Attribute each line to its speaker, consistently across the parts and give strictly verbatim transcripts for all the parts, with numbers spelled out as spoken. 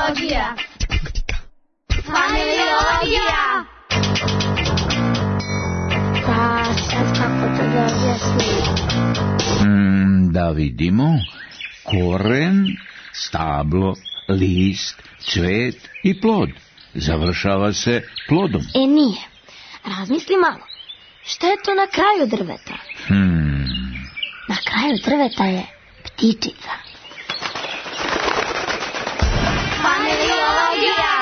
Speaker 1: Familiologija. Familiologija.
Speaker 2: Pa sad kako to da objasnim?
Speaker 3: Mm, da vidimo. Koren, stablo, list, cvet i plod. Završava se plodom.
Speaker 2: E nije. Razmisli malo. Šta je to na kraju drveta?
Speaker 3: Hmm.
Speaker 2: Na kraju drveta je ptičica.
Speaker 1: Familiologija.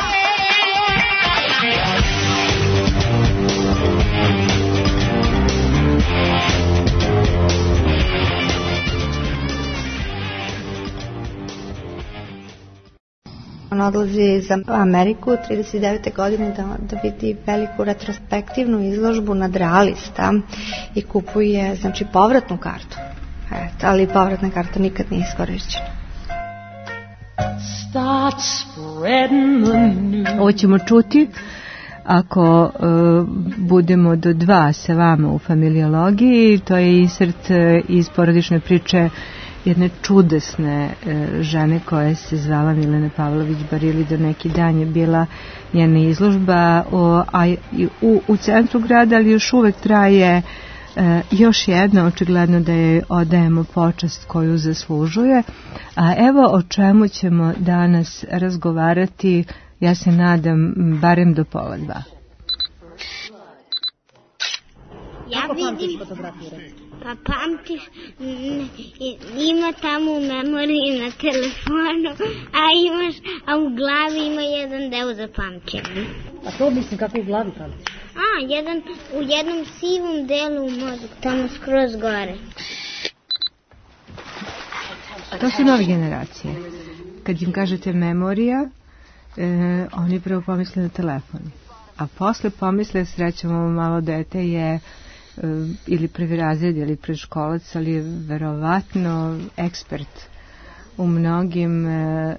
Speaker 4: On odlazi za Ameriku trideset devete godine da, da vidi veliku retrospektivnu izložbu nadrealista i kupuje, znači, povratnu kartu. Eto, ali povratna karta nikad nije iskorišćena.
Speaker 5: Ovo ćemo čuti ako uh, budemo do dva sa vama u familiologiji. To je insert uh, iz porodične priče jedne čudesne e, žene koja se zvala Milena Pavlović Barili. Do neki dan je bila njena izložba o, a, u, u centru grada, ali još uvek traje e, još jedna, očigledno da je odajemo počast koju zaslužuje. A evo o čemu ćemo danas razgovarati, ja se nadam, barem do pola dva.
Speaker 6: Ja vidim, pa pamtiš, ima tamo u memoriji na telefonu, a imaš, a u glavi ima jedan deo za pamćenje.
Speaker 7: A to mislim kako u glavi pamtiš?
Speaker 6: A, jedan, u jednom sivom delu u mozgu, tamo skroz gore.
Speaker 5: To su nove generacije. Kad im kažete memorija, e, oni prvo pomisle na telefon. A posle pomisle, srećemo malo dete je ili prvi razred ili predškolac, ali je verovatno ekspert u mnogim e,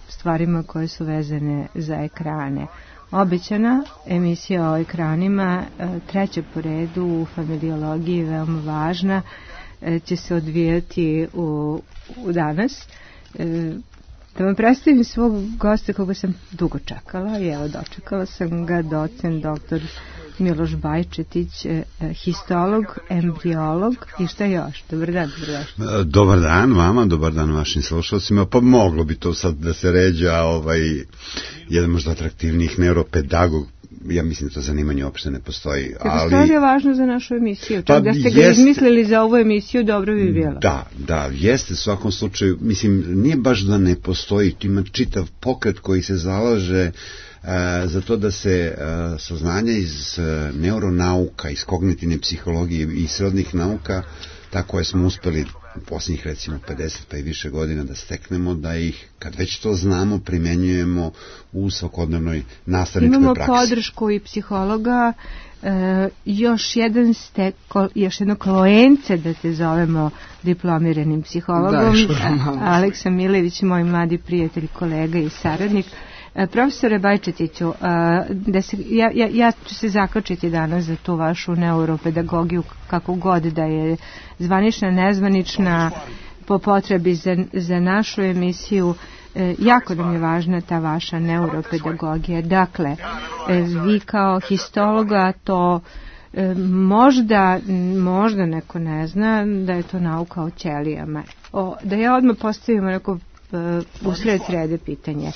Speaker 5: stvarima koje su vezane za ekrane. Obećana emisija o ekranima, e, treća po redu u familiologiji, veoma važna, e, će se odvijati u, u danas. E, da vam predstavim svog gosta koga sam dugo čekala i evo dočekala sam ga, docent doktor Miloš Bajčetić, histolog, embriolog i šta još? Dobar dan, dobrodošli.
Speaker 8: Dobar dan vama, dobar dan vašim slušalcima. Pa moglo bi to sad da se ređa ovaj, jedan možda atraktivnijih neuropedagog. Ja mislim da to zanimanje uopšte ne postoji.
Speaker 5: Ali to je važno za našu emisiju. Čak pa da ste ga jest, izmislili za ovu emisiju, dobro bi bilo.
Speaker 8: Da, da, jeste u svakom slučaju. Mislim, nije baš da ne postoji. Ima čitav pokret koji se zalaže E, za to da se e, saznanja iz e, neuronauka, iz kognitivne psihologije i srodnih nauka, tako koje smo uspeli u posljednjih recimo pedeset pa i više godina da steknemo, da ih, kad već to znamo, primenjujemo u svakodnevnoj nastavničkoj
Speaker 5: Imamo
Speaker 8: praksi.
Speaker 5: Imamo podršku i psihologa, e, još jedan ste, ko, još jedno kolojence da te zovemo diplomiranim psihologom, da, Aleksa Milević, moj mladi prijatelj, kolega i saradnik. Profesore Bajčetiću, da se, ja, ja, ja ću se zakačiti danas za tu vašu neuropedagogiju, kako god da je zvanična, nezvanična, po potrebi za, za našu emisiju. Jako nam je važna ta vaša neuropedagogija. Dakle, vi kao histologa to možda, možda neko ne zna da je to nauka o ćelijama. O, da ja odmah postavim neko usred srede pitanje.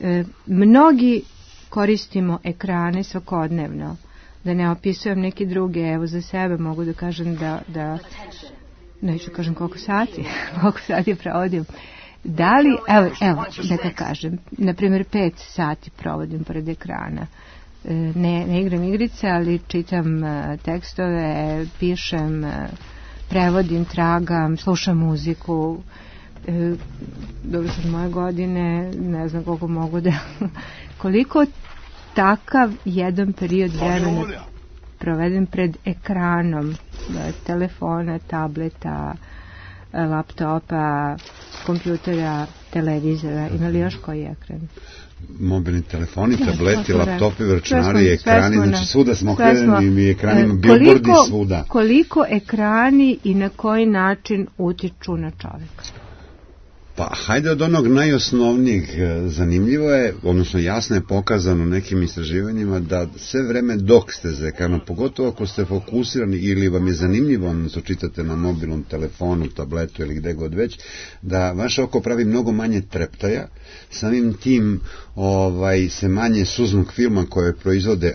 Speaker 5: E, mnogi koristimo ekrane svakodnevno, da ne opisujem neki druge, evo za sebe mogu da kažem da, da neću kažem koliko sati, koliko sati provodim. Da li, evo, evo da ka kažem, na primjer pet sati provodim pored ekrana. E, ne, ne igram igrice, ali čitam e, tekstove, pišem, e, prevodim, tragam, slušam muziku. E, dobro sad moje godine, ne znam koliko mogu da koliko takav jedan period vremena proveden pred ekranom telefona, tableta, laptopa, kompjutera, televizora, ima li još koji ekran?
Speaker 8: Mobilni telefoni, tableti, laptopi, računari, ekrani, znači svuda smo okrenuli i ekranima, billboardi svuda.
Speaker 5: Koliko ekrani i na koji način utiču na čovjeka?
Speaker 8: Pa hajde od onog najosnovnijeg. Zanimljivo je, odnosno jasno je pokazano nekim istraživanjima da sve vreme dok ste za ekranom, pogotovo ako ste fokusirani ili vam je zanimljivo, odnosno čitate na mobilnom telefonu, tabletu ili gde god već, da vaše oko pravi mnogo manje treptaja, samim tim ovaj, se manje suznog filma koje proizvode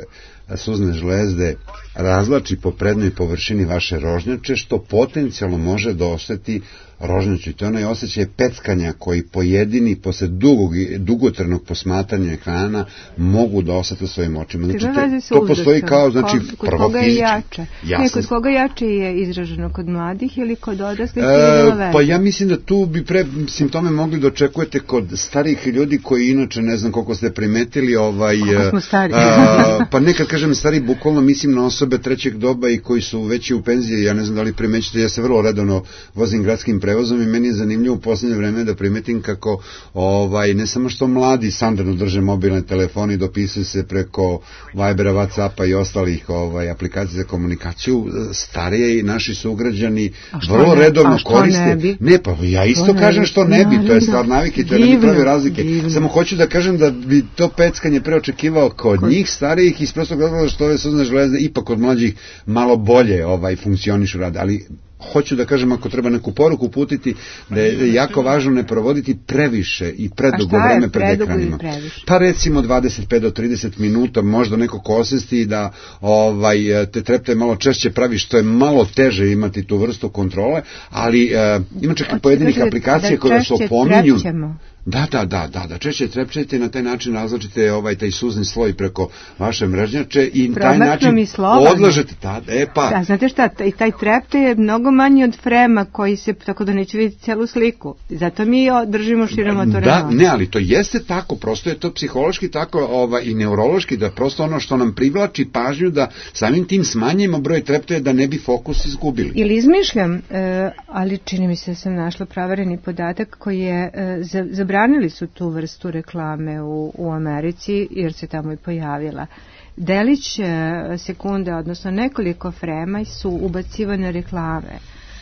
Speaker 8: suzne žlezde razlači po prednjoj površini vaše rožnjače, što potencijalno može da osjeti rožnjaču. To je onaj osjećaj peckanja koji pojedini posle dugog, dugotrajnog posmatranja ekrana mogu da osjete svojim očima. Znači, to, to postoji kao, znači,
Speaker 5: kod
Speaker 8: prvo
Speaker 5: koga je
Speaker 8: fizički.
Speaker 5: Jače? Ne, kod koga jače je izraženo, kod mladih ili kod odraslih?
Speaker 8: E, pa ja mislim da tu bi pre simptome mogli da očekujete kod starih ljudi koji inače, ne znam koliko ste primetili, ovaj,
Speaker 5: kako smo stari?
Speaker 8: a, pa nekad kažem stari, bukvalno mislim na osobe trećeg doba i koji su veći u penziji. Ja ne znam da li primećete, ja se vrlo redovno vozim gradskim prevozom i meni je zanimljivo u posljednje vreme da primetim kako ovaj, ne samo što mladi standardno drže mobilne telefone i dopisuju se preko Vibera, Whatsappa i ostalih ovaj, aplikacija za komunikaciju, starije i naši sugrađani vrlo ne, redovno koriste. Ne, bi? ne, pa ja isto to kažem što ne bi, to je stvar navike, to ne bi pravi razlike. Divno. Samo hoću da kažem da bi to peckanje preočekivao kod, kod njih starijih iz prostog razloga što ove suzne žlezde ipak kod mlađih malo bolje ovaj, funkcionišu rade, ali hoću da kažem, ako treba neku poruku uputiti, da je jako važno ne provoditi previše i predugo vreme pred ekranima. Pa recimo dvadeset pet do trideset minuta, možda neko ko osjesti da ovaj, te trepte malo češće pravi, što je malo teže imati tu vrstu kontrole, ali uh, ima čak i pojedinih aplikacija koje vas opominju. Da, da, da, da, da, češće trepčete i na taj način razlačite ovaj taj suzni sloj preko vaše mrežnjače i na taj način odlažete. Da, e pa.
Speaker 5: Da, znate šta, taj, taj trepte je mnogo manji od frema koji se, tako da neće vidjeti celu sliku. Zato mi držimo širom otvoreno.
Speaker 8: Da, ne, ali to jeste tako, prosto je to psihološki tako ovaj, i neurološki, da prosto ono što nam privlači pažnju da samim tim smanjimo broj treptaja da ne bi fokus izgubili.
Speaker 5: Ili izmišljam, e, ali čini mi se da sam našla pravareni podatak koji je e, za, za Zabranili su tu vrstu reklame u, u Americi jer se tamo i pojavila. Delić sekunde, odnosno nekoliko frema su ubacivane reklame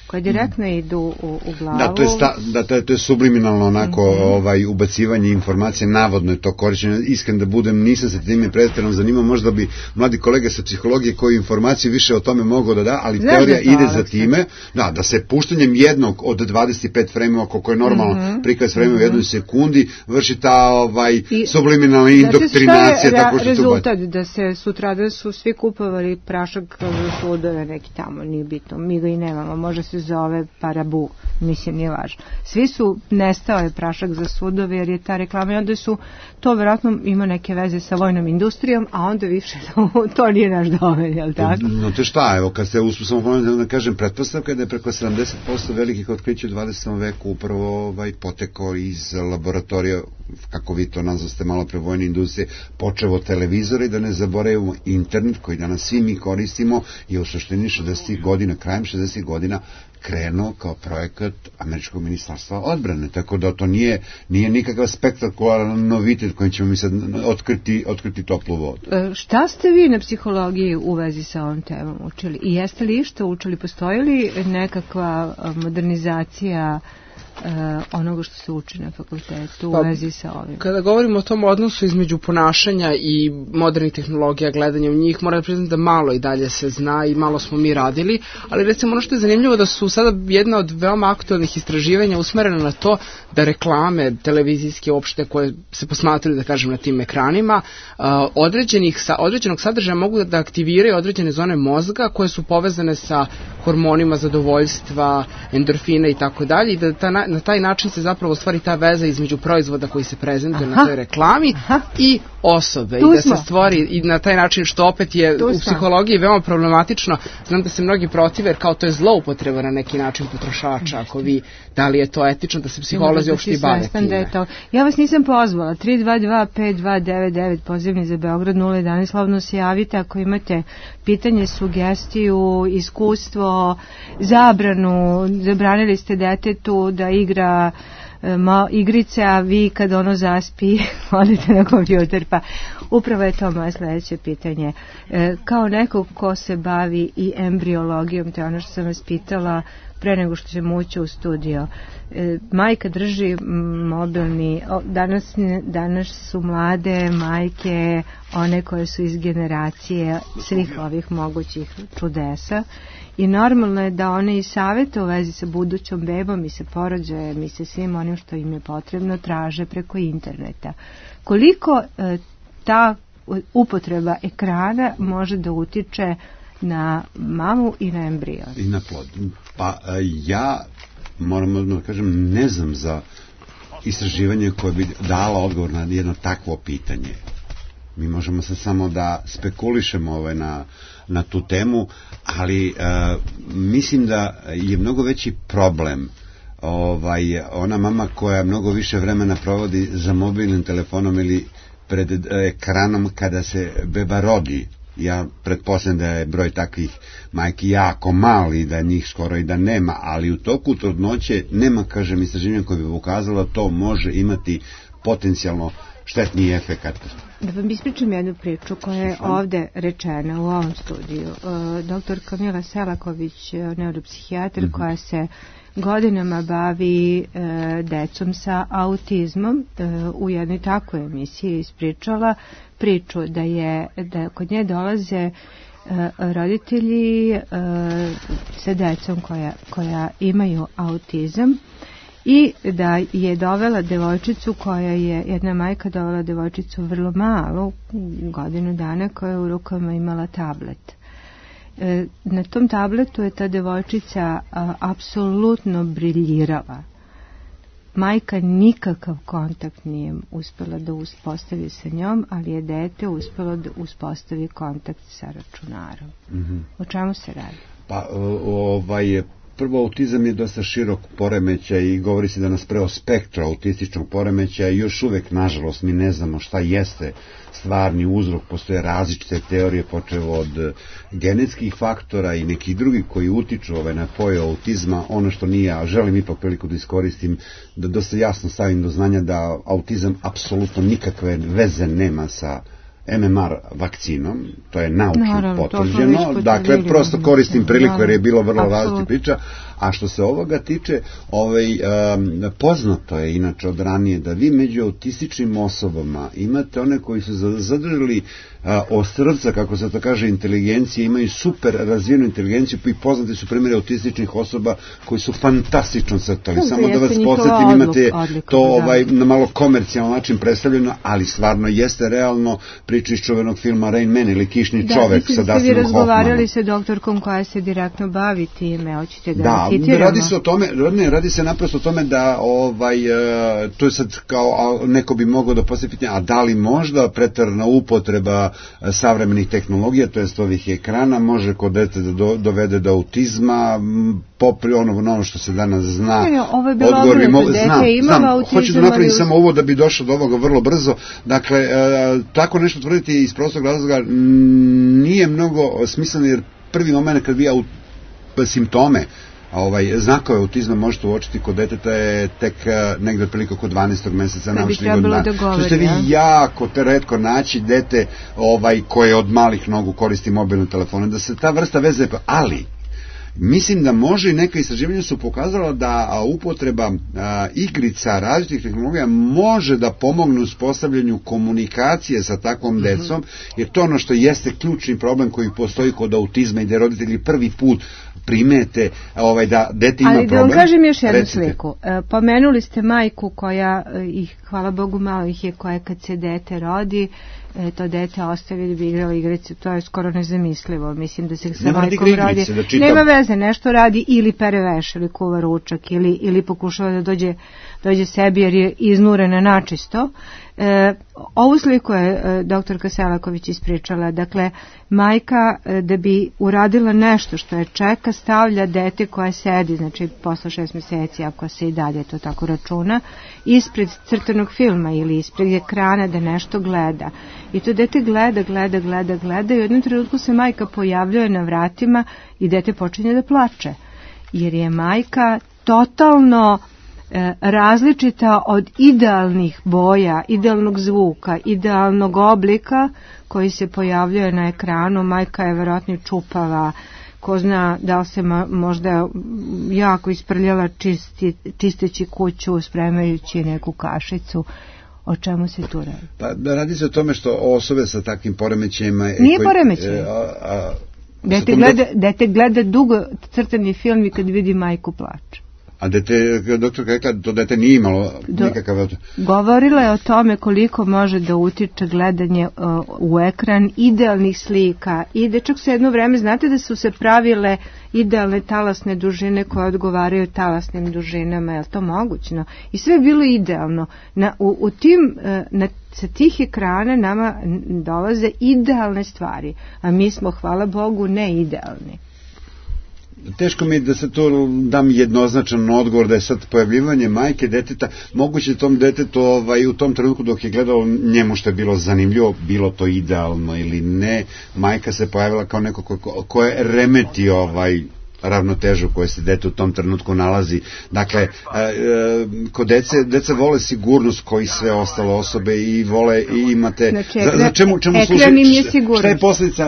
Speaker 5: koje direktno idu u, u glavu.
Speaker 8: Da, to je, sta, da, to je, to je subliminalno onako mm-hmm. ovaj, ubacivanje informacije, navodno je to korišćeno. Iskren da budem, nisam se time pretjerano zanimao, možda bi mladi kolege sa psihologije koji informacije više o tome mogu da da, ali Znaš teorija da ide za time, da, da se puštanjem jednog od dvadeset pet fremova, koliko je normalno mm-hmm. prikaz fremova u jednoj sekundi, vrši ta ovaj, I, subliminalna indoktrinacija.
Speaker 5: Znači šta je re, rezultat? Da se sutra da su svi kupovali prašak za sudove neki tamo, nije bitno, mi ga i nemamo, može se zove Parabu, mislim nije važno. Svi su, nestao je prašak za sudove jer je ta reklama i onda su, to vjerojatno ima neke veze sa vojnom industrijom, a onda više to nije naš domen, jel tako?
Speaker 8: No te šta, evo, kad ste uspio samo pomenuti, da kažem, pretpostavka da je preko sedamdeset posto velikih otkrića u dvadesetom veku upravo ovaj, potekao iz laboratorija, kako vi to nazvaste malo pre vojne industrije, počevo televizora i da ne zaboravimo internet koji danas svi mi koristimo i u suštini šezdesetih godina, krajem šezdesetih godina krenuo kao projekat Američkog ministarstva odbrane, tako da to nije, nije nikakav spektakularan novitet kojim ćemo mi sad otkriti, otkriti toplu vodu.
Speaker 5: E, šta ste vi na psihologiji u vezi sa ovom temom učili? I jeste li što učili? Postoji li nekakva modernizacija Uh, onoga što se uči na fakultetu pa, u vezi sa ovim?
Speaker 1: Kada govorimo o tom odnosu između ponašanja i modernih tehnologija, gledanja u njih, moram da priznam da malo i dalje se zna i malo smo mi radili, ali recimo ono što je zanimljivo da su sada jedna od veoma aktualnih istraživanja usmerena na to da reklame televizijske opšte koje se posmatraju, da kažem, na tim ekranima, uh, određenih, sa, određenog sadržaja mogu da aktiviraju određene zone mozga koje su povezane sa hormonima zadovoljstva, endorfina i tako dalje i da ta na, na taj način se zapravo stvari ta veza između proizvoda koji se prezentuje na toj reklami Aha. i osobe tu i da smo. se stvori i na taj način što opet je tu u psihologiji veoma problematično. Znam da se mnogi protive jer kao to je zloupotreba na neki način potrošača. Ako vi, da li je to etično da se psiholozi uopšte i bave time?
Speaker 5: Ja vas nisam pozvala. tri dva dva pet dva devet devet pozivni za Beograd nula jedan. Slavno se javite ako imate pitanje, sugestiju, iskustvo, zabranu. Zabranili ste detetu da igra ma, igrice, a vi kad ono zaspi odete na kompjuter, pa upravo je to moje sledeće pitanje. E, kao neko ko se bavi i embriologijom, to je ono što sam vas pitala, pre nego što ćemo ući u studio. E, majka drži mobilni, o, danas, danas su mlade majke, one koje su iz generacije svih ovih mogućih čudesa, i normalno je da one i savete u vezi sa budućom bebom i sa porođajem i sa svim onim što im je potrebno traže preko interneta. Koliko e, ta upotreba ekrana može da utiče na mamu i na embrion?
Speaker 8: I na plod. Pa ja, moram da kažem, ne znam za istraživanje koje bi dala odgovor na jedno takvo pitanje. Mi možemo se samo da spekulišemo ovaj na, na tu temu, ali uh, mislim da je mnogo veći problem ovaj, ona mama koja mnogo više vremena provodi za mobilnim telefonom ili pred ekranom kada se beba rodi. Ja pretpostavljam da je broj takvih majki jako mali, da njih skoro i da nema, ali u toku trudnoće nema, kažem, istraživanja koje bi ukazalo to može imati potencijalno štetni efekat.
Speaker 5: Da vam ispričam jednu priču koja je ovde rečena u ovom studiju. Doktor Kamila Selaković, neuropsihijatar, mm-hmm. koja se godinama bavi e, decom sa autizmom, e, u jednoj takvoj emisiji ispričala priču da je da kod nje dolaze e, roditelji e, sa decom koja, koja imaju autizam, i da je dovela devojčicu koja je, jedna majka dovela devojčicu vrlo malu, godinu dana, koja je u rukama imala tablet. E, na tom tabletu je ta devojčica a, apsolutno briljirala. Majka nikakav kontakt nije uspela da uspostavi sa njom, ali je dete uspelo da uspostavi kontakt sa računarom. Mm-hmm. O čemu se radi?
Speaker 8: Pa ovaj prvo, autizam je dosta širok poremećaj i govori se da nas preo spektra autističnog poremećaja i još uvek, nažalost, mi ne znamo šta jeste stvarni uzrok. Postoje različite teorije, počev od genetskih faktora i nekih drugih koji utiču ovaj, na pojavu autizma. Ono što nije, a želim ipak priliku da iskoristim, da dosta jasno stavim do znanja da autizam apsolutno nikakve veze nema sa M M R vakcinom, to je naučno potvrđeno, dakle prosto koristim priliku jer je bilo vrlo različita priča. A što se ovoga tiče, ovaj, um, poznato je inače od ranije da vi među autističnim osobama imate one koji su zadržali uh, ostrvca, kako se to kaže, inteligencije, imaju super razvijenu inteligenciju, i poznate su primjeri autističnih osoba koji su fantastično crtali. No, samo da vas podsjetim, imate odliku, to ovaj, na malo komercijalno način predstavljeno, ali stvarno jeste realno. Priča iz čuvenog filma Rain Man ili Kišni da, čovek sa Dustinom Hoffmanom. Da, vi
Speaker 5: razgovarali sa doktorkom koja se direktno bavi time, hoćete da,
Speaker 8: da citiramo? Radi se o tome, ne, radi se naprosto o tome da ovaj, to je sad kao neko bi mogao da postavi pitanje, a da li možda preterana upotreba savremenih tehnologija, to jest ovih ekrana, može kod dete da do, dovede do autizma, popri ono, ono što se danas zna.
Speaker 5: Ne, ovo je bilo odgovor, mo,
Speaker 8: znam, znam, hoću da napravim ali... samo ovo da bi došao do ovoga vrlo brzo. Dakle, e, tako nešto tvrditi iz prostog razloga nije mnogo smisleno, jer prvi moment kad vi aut, simptome, ovaj, znakove autizma možete uočiti kod deteta je tek negde otprilike oko dvanaestog meseca naučnih godina.
Speaker 5: Da govori,
Speaker 8: što ste vi jako te retko naći dete ovaj, koje od malih nogu koristi mobilne telefone, da se ta vrsta veze, ali mislim da može, i neka istraživanja su pokazala da upotreba a, igrica različitih tehnologija može da pomogne u uspostavljanju komunikacije sa takvom mm-hmm. decom, jer to ono što jeste ključni problem koji postoji kod autizma i da roditelji prvi put primete ovaj, da dete ima
Speaker 5: ali
Speaker 8: problem.
Speaker 5: Ali da vam kažem još jednu Recite. sliku. E, pomenuli ste majku koja, ih, hvala Bogu malo ih je, koja kad se dete rodi, e, to dete ostavi da bi igralo igrice, to je skoro nezamislivo. Mislim da se sa
Speaker 8: Nema
Speaker 5: majkom radi. Da nema veze, nešto radi ili pere veš ili kuva ručak ili, ili pokušava da dođe, dođe sebi jer je iznurena načisto. E, ovu sliku je e, doktorka Selaković ispričala. Dakle, majka e, da bi uradila nešto što je čeka, stavlja dete koje sedi, znači posle šest meseci, ako se i dalje to tako računa, ispred crtanog filma ili ispred ekrana da nešto gleda. I to dete gleda, gleda, gleda, gleda i u jednom trenutku se majka pojavljuje na vratima i dete počinje da plače. Jer je majka totalno različita od idealnih boja, idealnog zvuka, idealnog oblika koji se pojavljuje na ekranu. Majka je verovatno čupava, ko zna da li se možda jako isprljala čisti, čisteći kuću, spremajući neku kašicu. O čemu se tu radi?
Speaker 8: Pa radi se o tome što osobe sa takvim poremećajima...
Speaker 5: Nije poremećaj. Dete gleda, dete gleda dugo crtani film i kad vidi majku plače.
Speaker 8: A dete, doktor rekla, to dete nije imalo nikakav...
Speaker 5: Govorila je o tome koliko može da utiče gledanje uh, u ekran idealnih slika. I da čak su jedno vreme, znate da su se pravile idealne talasne dužine koje odgovaraju talasnim dužinama, je li to mogućno? I sve je bilo idealno. Na, u, u tim, uh, na, sa tih ekrana nama dolaze idealne stvari, a mi smo, hvala Bogu, ne idealni.
Speaker 8: Teško mi je da se to dam jednoznačan odgovor, da je sad pojavljivanje majke deteta, moguće tom detetu ovaj, u tom trenutku dok je gledalo njemu što je bilo zanimljivo, bilo to idealno ili ne, majka se pojavila kao neko ko, ko je remeti ovaj ravnotežu koje se dete u tom trenutku nalazi. Dakle, e, e, kod dece, deca vole sigurnost koji sve ostale osobe i vole i imate...
Speaker 5: Znači,
Speaker 8: za, za čemu, čemu
Speaker 5: ekran
Speaker 8: služi,
Speaker 5: im je sigurnost.
Speaker 8: Šta je posljedica,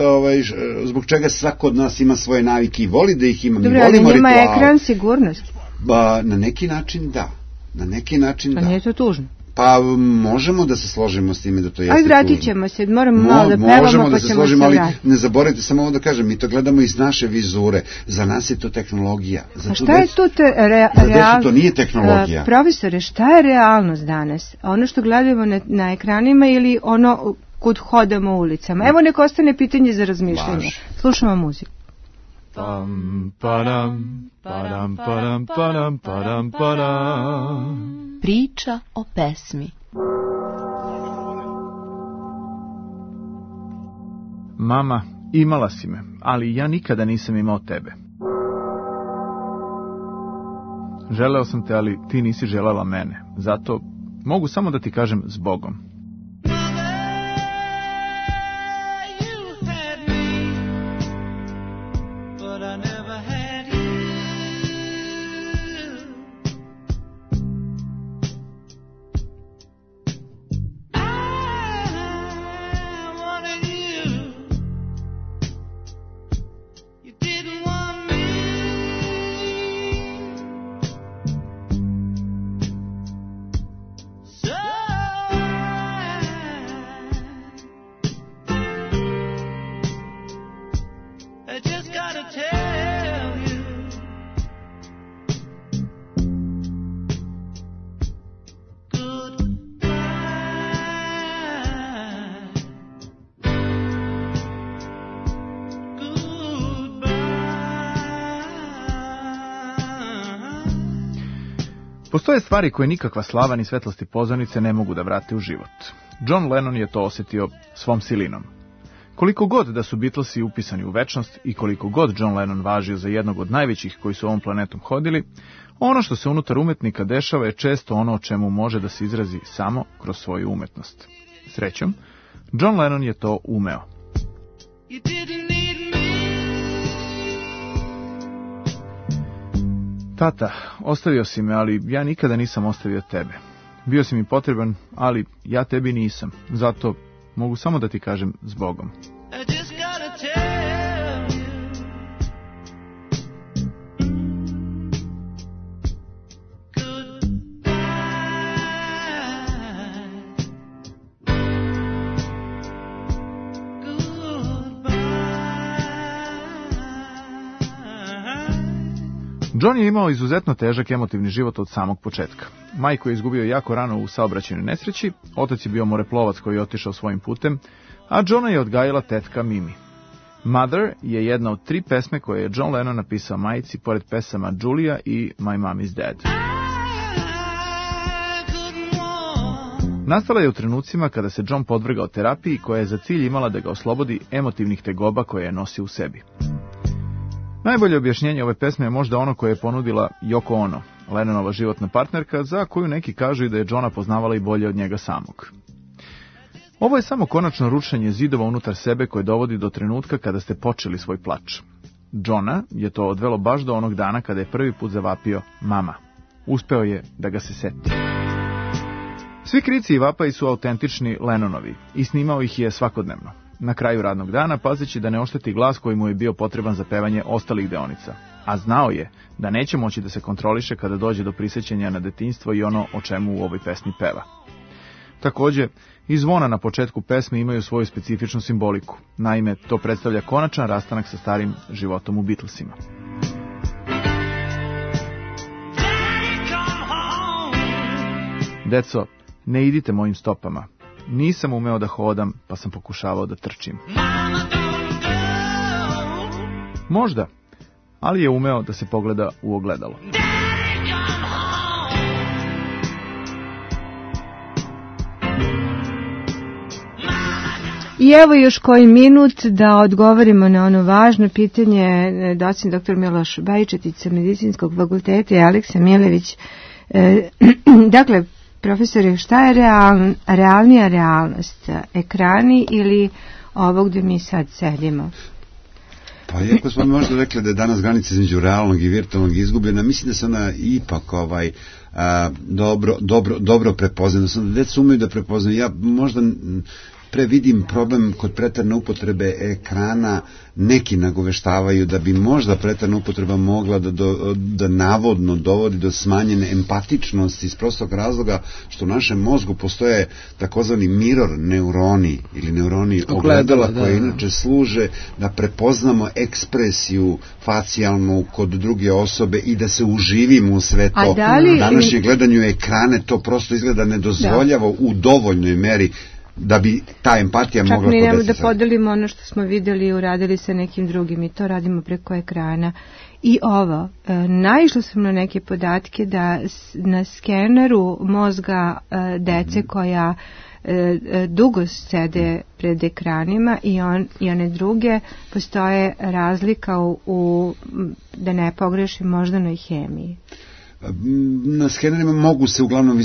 Speaker 8: ovaj, zbog čega svako od nas ima svoje navike i voli da ih ima.
Speaker 5: Dobro,
Speaker 8: mi volimo
Speaker 5: ali njima
Speaker 8: ritual.
Speaker 5: Ekran sigurnost.
Speaker 8: Ba, na neki način da. Na neki način
Speaker 5: pa
Speaker 8: da.
Speaker 5: Nije to tužno.
Speaker 8: Pa možemo da se složimo s time da to jeste
Speaker 5: tužno. Aj, vratit ćemo se, moramo Mo, malo da pevamo, pa
Speaker 8: da
Speaker 5: se
Speaker 8: ćemo složimo,
Speaker 5: se
Speaker 8: ali
Speaker 5: vratiti.
Speaker 8: ne zaboravite samo ovo da kažem, mi to gledamo iz naše vizure. Za nas je to tehnologija. Za
Speaker 5: A šta je tu te re,
Speaker 8: za
Speaker 5: real...
Speaker 8: decu to nije tehnologija.
Speaker 5: Uh, profesore, šta je realnost danas? Ono što gledamo na, na ekranima ili ono kud hodamo ulicama? Evo nek ostane pitanje za razmišljanje. Baš. Slušamo muziku.
Speaker 9: Pam, padam, padam, padam, padam, padam, padam.
Speaker 10: Priča o pesmi.
Speaker 9: Mama, imala si me, ali ja nikada nisam imao tebe. Želeo sam te, ali ti nisi želela mene. Zato mogu samo da ti kažem s Bogom. Postoje stvari koje nikakva slava ni svetlosti pozornice ne mogu da vrate u život. John Lennon je to osjetio svom silinom. Koliko god da su Beatlesi upisani u večnost i koliko god John Lennon važio za jednog od najvećih koji su ovom planetom hodili, ono što se unutar umetnika dešava je često ono o čemu može da se izrazi samo kroz svoju umetnost. Srećom, John Lennon je to umeo. Tata, ostavio si me, ali ja nikada nisam ostavio tebe. Bio si mi potreban, ali ja tebi nisam. Zato mogu samo da ti kažem s Bogom. John je imao izuzetno težak emotivni život od samog početka. Majku je izgubio jako rano u saobraćajnoj nesreći, otac je bio moreplovac koji je otišao svojim putem, a Johna je odgajila tetka Mimi. Mother je jedna od tri pesme koje je John Lennon napisao majici pored pesama Julia i My Mom is Dead. Nastala je u trenucima kada se John podvrgao terapiji koja je za cilj imala da ga oslobodi emotivnih tegoba koje je nosio u sebi. Najbolje objašnjenje ove pesme je možda ono koje je ponudila Yoko Ono, Lennonova životna partnerka, za koju neki kažu i da je Johna poznavala i bolje od njega samog. Ovo je samo konačno rušenje zidova unutar sebe koje dovodi do trenutka kada ste počeli svoj plač. Johna je to odvelo baš do onog dana kada je prvi put zavapio mama. Uspeo je da ga se seti. Svi krici i vapaji su autentični Lennonovi i snimao ih je svakodnevno. na kraju radnog dana, pazeći da ne ošteti glas koji mu je bio potreban za pevanje ostalih deonica. A znao je da neće moći da se kontroliše kada dođe do prisjećanja na detinjstvo i ono o čemu u ovoj pesmi peva. Takođe, i zvona na početku pesme imaju svoju specifičnu simboliku. Naime, to predstavlja konačan rastanak sa starim životom u Beatlesima. Deco, ne idite mojim stopama. Nisam umeo da hodam, pa sam pokušavao da trčim. Možda, ali je umeo da se pogleda u ogledalo.
Speaker 5: I evo još koji minut da odgovorimo na ono važno pitanje. Docent doktor Miloš Bajčetić sa Medicinskog fakulteta i Aleksa Milević. E, dakle, profesore, šta je real, realnija realnost? Ekrani ili ovog gde mi sad sedimo?
Speaker 8: Pa iako smo možda rekli da je danas granica između realnog i virtualnog izgubljena, mislim da se ona ipak ovaj, a, dobro, dobro, dobro prepoznana. Da deca umeju da prepoznaju. Ja možda pre vidim problem kod pretarne upotrebe ekrana, neki nagoveštavaju da bi možda pretarna upotreba mogla da, do, da navodno dovodi do smanjene empatičnosti iz prostog razloga što u našem mozgu postoje takozvani mirror neuroni ili neuroni ogledala da, koje inače služe da prepoznamo ekspresiju facijalnu kod druge osobe i da se uživimo u sve to.
Speaker 5: Li...
Speaker 8: Današnje gledanju ekrane to prosto izgleda ne dozvoljava da. U dovoljnoj meri da bi ta empatija
Speaker 5: čak
Speaker 8: mogla podesiti.
Speaker 5: Čak mi nemo da podelimo ono što smo videli i uradili sa nekim drugim i to radimo preko ekrana. I ovo, e, naišla sam na neke podatke da na skeneru mozga e, dece mm. koja e, dugo sede pred ekranima i, on, i one druge postoje razlika u, u da ne pogrešim moždanoj hemiji.
Speaker 8: Na skenerima mogu se uglavnom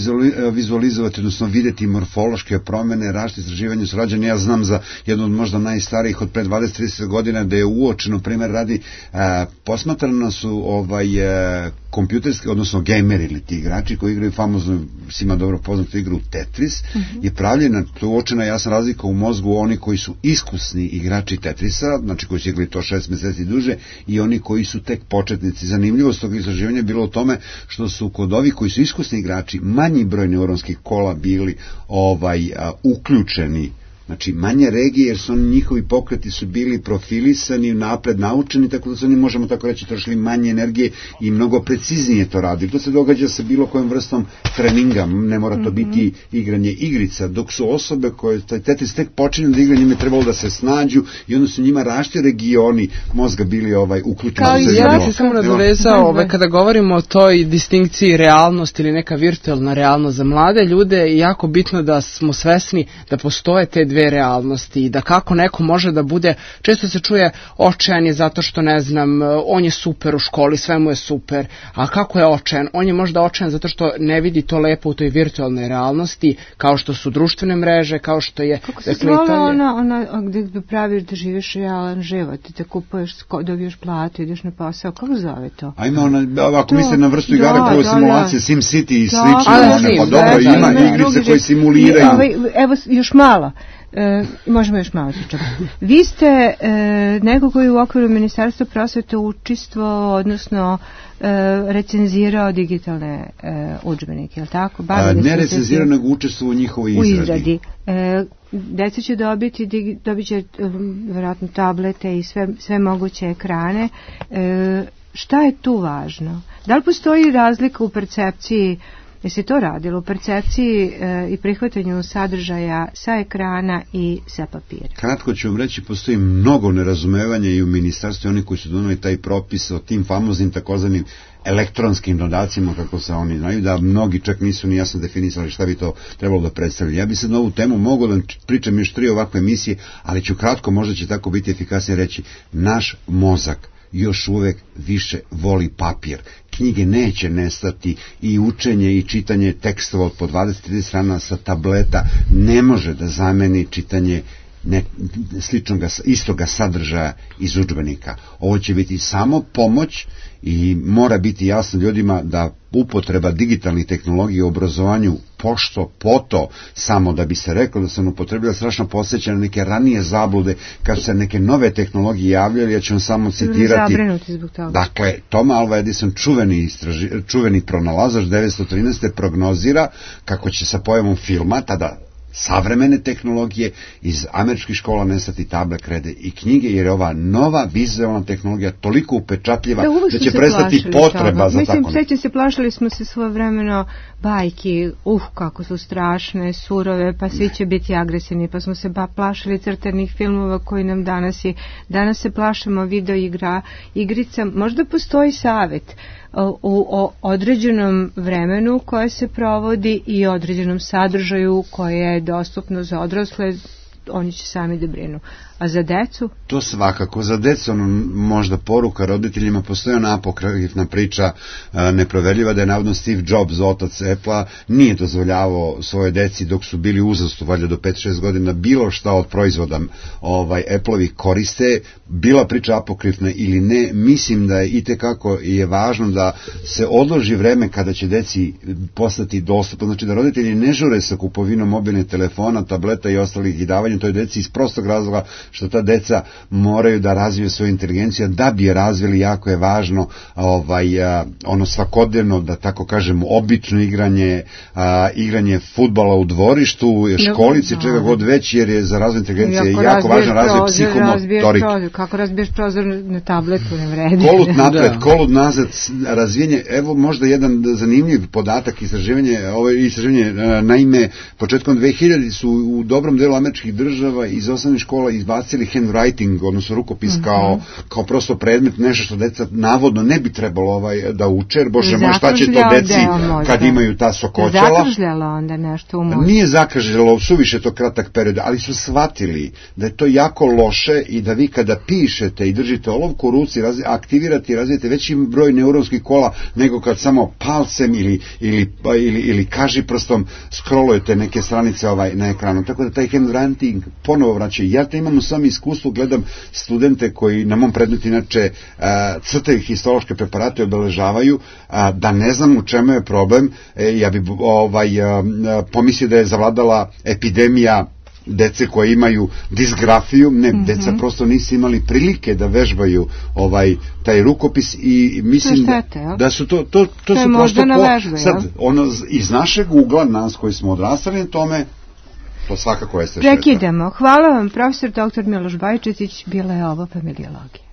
Speaker 8: vizualizovati, odnosno videti morfološke promene, različite istraživanja su rađene. Ja znam za jednu od možda najstarijih od pre dvadeset do trideset godina da je uočeno, primjer radi, a, posmatrano su ovaj, a, kompjuterski, odnosno gejmeri ili ti igrači koji igraju famozno, svima dobro poznatu igru Tetris, mm-hmm. je pravljena, uočena jasna razlika u mozgu oni koji su iskusni igrači Tetrisa, znači koji su igrali to šest meseci duže, i oni koji su tek početnici. Zanimljivost tog istraživanja je bilo u tome što su kod ovih koji su iskusni igrači manji broj neuronskih kola bili ovaj a, uključeni, znači manje regije, jer su oni, njihovi pokreti su bili profilisani, napred naučeni, tako da su oni, možemo tako reći, trošili manje energije i mnogo preciznije to radili. To se događa sa bilo kojom vrstom treninga, ne mora to biti igranje igrica, dok su osobe koje taj Tetris tek počinju da igra, njima je trebalo da se snađu i onda su njima različiti regioni mozga bili ovaj uključeni.
Speaker 1: Kao i ja bih se samo nadovezao, ovaj, kada govorimo o toj distinkciji realnost ili neka virtualna realnost za mlade ljude, je jako bitno da smo svesni da postoje te dve realnosti i da kako neko može da bude, često se čuje očajan je zato što ne znam, on je super u školi, sve mu je super, a kako je očajan? On je možda očajan zato što ne vidi to lepo u toj virtualnoj realnosti, kao što su društvene mreže, kao što je...
Speaker 5: Kako se zvala ona, ona gde praviš da živiš realan život, ti te kupuješ, dobiješ platu, ideš na posao, kako zove to?
Speaker 8: A ima ona, ako mislite na vrstu igara kao simulacije, SimCity i slično, pa dobro, ima igrice koje simuliraju.
Speaker 5: Evo, još malo. E, možemo još malo pričati. Vi ste e, neko koji u okviru Ministarstva prosvete učestvovao, odnosno e, recenzirao digitalne e, udžbenike, je li tako?
Speaker 8: A, ne recenzirao, nego učestvovao u njihovoj izradi.
Speaker 5: U izradi. E, deca će dobiti, dobit će vjerojatno tablete i sve, sve moguće ekrane. E, šta je tu važno? Da li postoji razlika u percepciji? Jesi to radilo u percepciji e, i prihvatanju sadržaja sa ekrana i sa papira?
Speaker 8: Kratko ću vam reći, postoji mnogo nerazumevanja i u ministarstvu, oni koji su doneli taj propis o tim famoznim takozvanim elektronskim dodacima, kako se oni znaju, da mnogi čak nisu ni jasno definisali šta bi to trebalo da predstavlja. Ja bi sad na ovu temu mogao da pričam još tri ovakve emisije, ali ću kratko, možda će tako biti efikasnije reći, naš mozak još uvek više voli papir. Knjige neće nestati i učenje i čitanje tekstova od po dvadeset do trideset strana sa tableta ne može da zameni čitanje ne, sličnoga, istoga sadržaja iz udžbenika. Ovo će biti samo pomoć i mora biti jasno ljudima da upotreba digitalnih tehnologija u obrazovanju pošto poto, samo da bi se reklo da sam upotrebila, strašno podsjeća na neke ranije zablude kad su se neke nove tehnologije javljali. Ja ću vam samo citirati. Dakle, Tom Alva Edison, čuveni, istraži, čuveni pronalazač devetsto trinaeste prognozira kako će sa pojavom filma, tada savremene tehnologije, iz američkih škola nestati table, krede i knjige, jer je ova nova vizualna tehnologija toliko upečatljiva da, da će prestati potreba toga. za
Speaker 5: Mislim,
Speaker 8: tako
Speaker 5: seća se, plašili smo se svojevremeno bajki, uh, kako su strašne, surove, pa svi će biti agresivni, pa smo se ba plašili crtanih filmova koji nam danas je, danas se plašimo video igra, igrica, možda postoji savet u o određenom vremenu koje se provodi i određenom sadržaju koje je dostupno za odrasle, oni će sami da brinu. A za decu?
Speaker 8: To svakako. Za decu možda poruka roditeljima, postoji ona apokrifna priča neproverljiva da je navodno Steve Jobs, otac Apple-a, nije dozvoljavao svoje deci dok su bili uzrastu, valjda do pet šest godina, bilo šta od proizvoda ovaj, Apple-ovih koriste. Bila priča apokrifna ili ne, mislim da je itekako je važno da se odloži vreme kada će deci postati dostupno. Znači da roditelji ne žure sa kupovinom mobilnih telefona, tableta i ostalih i davanja toj deci iz prostog razloga što ta deca moraju da razviju svoju inteligenciju, da bi je razvili. Jako je važno ovaj, a, ono svakodnevno, da tako kažem, obično igranje, a, igranje fudbala u dvorištu, školici, no, čega god već, jer je za razvoj inteligencije jako, jako važno razvoj psihomotorike.
Speaker 5: Kako razbiješ prozor na tabletu, ne vredi.
Speaker 8: Kolut napred, da. kolut nazad, razvijenje. Evo možda jedan zanimljiv podatak, istraživanje, ovo istraživanje, naime, početkom dve hiljaditih su u dobrom delu američkih država iz osnovnih škola izbacili handwriting, odnosno rukopis, mm-hmm. kao, kao prosto predmet, nešto što deca navodno ne bi trebalo ovaj, da uče, jer bože moj, šta će to deci kad imaju ta sokoćala.
Speaker 5: Zakržljalo onda nešto u mozgu.
Speaker 8: Nije zakržljalo, suviše to kratak period, ali su shvatili da je to jako loše i da vi kada pišete i držite olovku u ruci, razvi, aktivirate i razvijete veći broj neuronskih kola nego kad samo palcem ili, ili, ili, ili kažiprstom scrollujete neke stranice ovaj, na ekranu. Tako da taj handwriting ponovo vraća. Ja to imam u svom iskustvu, gledam studente koji na mom predmetu inače a, crtaju histološke preparate, obeležavaju, a, da ne znam u čemu je problem. E, ja bi ovaj, a, a, pomislio da je zavladala epidemija dece koje imaju disgrafiju, ne, mm-hmm. deca prosto nisu imali prilike da vežbaju ovaj taj rukopis i mislim
Speaker 5: štete,
Speaker 8: da, da su to to to,
Speaker 5: to
Speaker 8: su prosto po,
Speaker 5: vežbe,
Speaker 8: sad ono iz našeg ugla, nas koji smo odrastali na tome, to svakako jeste šteta.
Speaker 5: Prekidamo. Hvala vam, profesor doktor Miloš Bajčetić, bila je ovo familiologija.